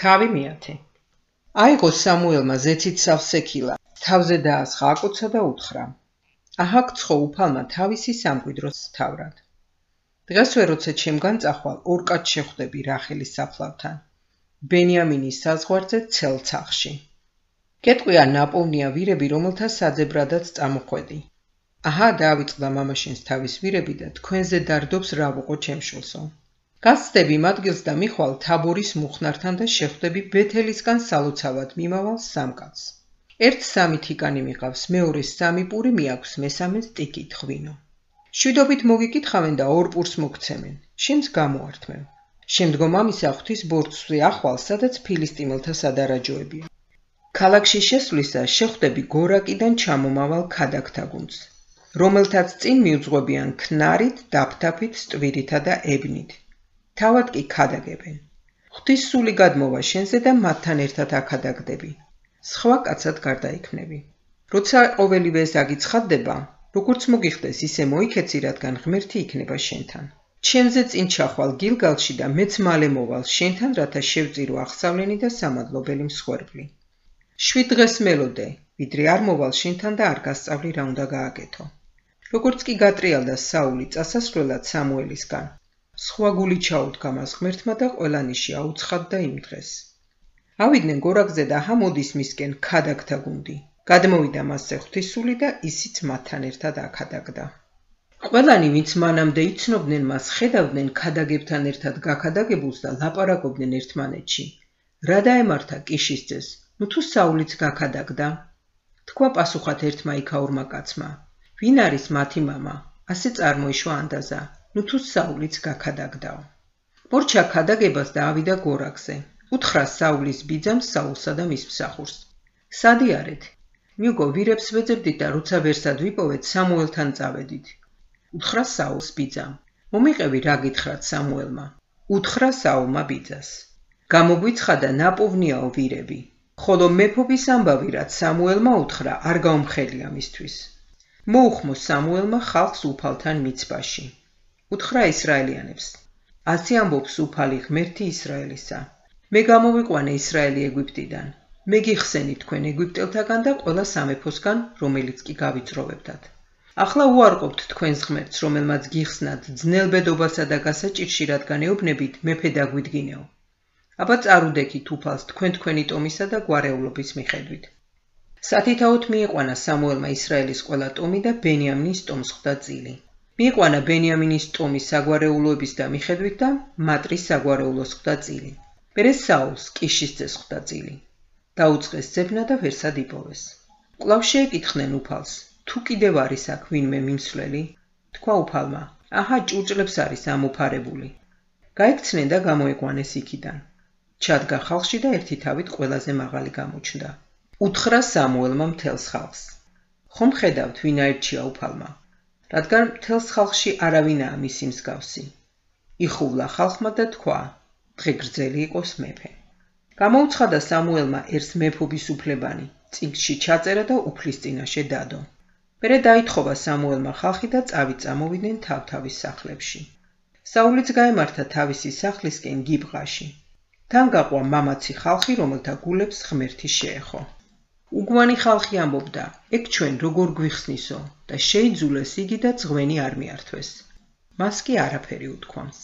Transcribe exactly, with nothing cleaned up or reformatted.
თავი მეათე. აიღო სამუელმა ზეცით სავსექილა, თავზე დაასხა აკოცა და უთხრა: აჰაკ ცხო უფალმა თავისი სამკვიდროს თავრად. დღესვე როცა ჩემგან წახვალ, ორკაც შეხვდები რახელის საფლავთან, ბენიამინის საზღვარზე ცელ ცახში. გეტყვია ნაპოვნია ვირები, რომელთა საძებრადაც წამოხვედი. აჰა, დაავიწყდა მამაშენს თავის ვირები და თქვენზე დარდობს რა ვუყო ჩემშულსო. გასცდები იმ ადგილს და მიხვალ თაბორის მუხნართან და შეხვდები ბეთელისგან სალოცავად მიმავალ სამკაცს. ერთ სამი თიკანი მიყავს, მეორეს სამი პური მიაქვს, მესამეს ტიკით ღვინო. შვიდობით მოგიკითხავენ და ორ პურს მოგცემენ, შენს გამოართმევ. შემდგომ ამისა ღვთის ბორცვზე ახვალ, სადაც ფილისტიმელთა სადარაჯოებია. ქალაქში შესვლისას შეხვდები გორაკიდან ჩამომავალ ქადაგთა გუნდს, რომელთაც წინ მიუძღვებიან ქნარით, დაფთაფით, სტვირითა და ებნით. თავად კი ქადაგებენ. ღვთის სული გადმოვა შენზე და მათთან ერთად აქადაგდები. სხვა კაცად გარდაიქმნები. როცა ყოველივე ეს აგიცხადდება, როგორც მოგიხდეს, ისე მოიქეცი, რადგან ღმერთი იქნება შენთან. ჩემზე წინ ჩახვალ გილგალში და მეც მალე მოვალ შენთან, რათა შევწირო აღსავლენი და სამადლობელი მსხვერპლი. შვიდ დღეს მელოდე, ვიდრე არ მოვალ შენთან და არ გასწავლი რა უნდა გააკეთო. როგორც კი გატრიალდა საული წასასვლელად სამუელისგან, სხვა გული ჩაუდგა მას ღმერთმა და ყველანიში აუცხადდა იმ დღეს. ავიდნენ გორაკზე და ჰამოდის მისკენ ქადაგთა გუნდი. გადმოვიდა მასზე ღვთის სული და ისიც მათთან ერთად აქადაგდა. ყველანი, ვინც მანამდე იცნობდნენ მას, ხედავდნენ ქადაგებთან ერთად გაქადაგებულს და ლაპარაკობდნენ ერთმანეთში. რა დაემართა კიშის ძეს, ნუ თუ საულიც გაქადაგდა? თქვა პასუხად ერთმა იქაურმა კაცმა: ვინ არის მათი მამა? ასე წარმოიშვა ანდაზა, ნუ თუ საულიც გაქადაგდაო. მორჩა ქადაგებას და ავიდა გორაკზე. უთხრა საულის ბიძამ საულსა და მის მსახურს: სადი არეთ? მიუგო, ვირებს ვეძებდით და როცა ვერსად ვიპოვეთ, სამუელთან წავედით. უთხრა საულს ბიძამ: მომიყევი რა გითხრათ სამუელმა. უთხრა საულმა ბიძას: გამოგვიცხადა ნაპოვნიაო ვირები, ხოლო მეფობის ამბავი რაც სამუელმა უთხრა, არ გაუმხელია მისთვის. მოუხმო სამუელმა ხალხს უფალთან მიცბაში. უთხრა ისრაელიანებს: ასე ამბობს უფალი ღმერთი ისრაელისა: მე გამოვიყვანე ისრაელი ეგვიპტიდან, მე გიხსენი თქვენ ეგვიპტელთაგან და ყველა სამეფოსგან, რომელიც კი გავიწროვებდათ. ახლა უარყოფთ თქვენს ღმერთს, რომელმაც გიხსნათ ძნელბედობასა და გასაჭირში, რადგან ეუბნებით მეფე დაგვიდგინეო. აბა წარუდექით უფალს თქვენ თქვენი ტომისა და გვარეულობის მიხედვით. სათითაოდ მიიყვანა სამუელმა ისრაელის ყველა ტომი და ბენიამინის ტომს ხვდა წილი. მიიყვანა ბენიამინის ტომის საგვარეულოების და მიხედვით და მატრის საგვარეულოს ხვდა წილი. მერე საულს კიშის ძეს ხვდა წილი. დაუწყეს ძებნა და ვერსად იპოვეს. კვლავ შეეკითხნენ უფალს: თუ კიდევ არის აქ ვინმე მიმსვლელი? თქვა უფალმა: აჰა, ჭურჭლებს არის ამოფარებული. გაიქცნენ და გამოიყვანეს იქიდან. ჩადგა ხალხში და ერთი თავით ყველაზე მაღალი გამოჩნდა. უთხრა სამუელმა მთელს ხალხს: ხომ ხედავთ ვინ აირჩია უფალმა? რადგან მთელს ხალხში არავინაა მისი მსგავსი. იხუვლა ხალხმა და თქვა: დღე გრძელი იყოს მეფე. გამოუცხადა სამუელმა ერთს მეფობის უფლებანი, წიგნში ჩაწერა და უფლის წინაშე დადო. მერე დაითხოვა სამუელმა ხალხი და წავით წამოვიდნენ თავთავის სახლებში. საულიც გაემართა თავისი სახლისკენ გიბღაში. თან გაყვა მამაცი ხალხი, რომელთა გულებს ღმერთი შეეხო. უგვანი ხალხი ამბობდა: ეგ ჩვენ როგორ გვიხსნისო და შეიძულეს იგი და ძღვენი არ მიართვეს. მას კი არაფერი უთქვამს.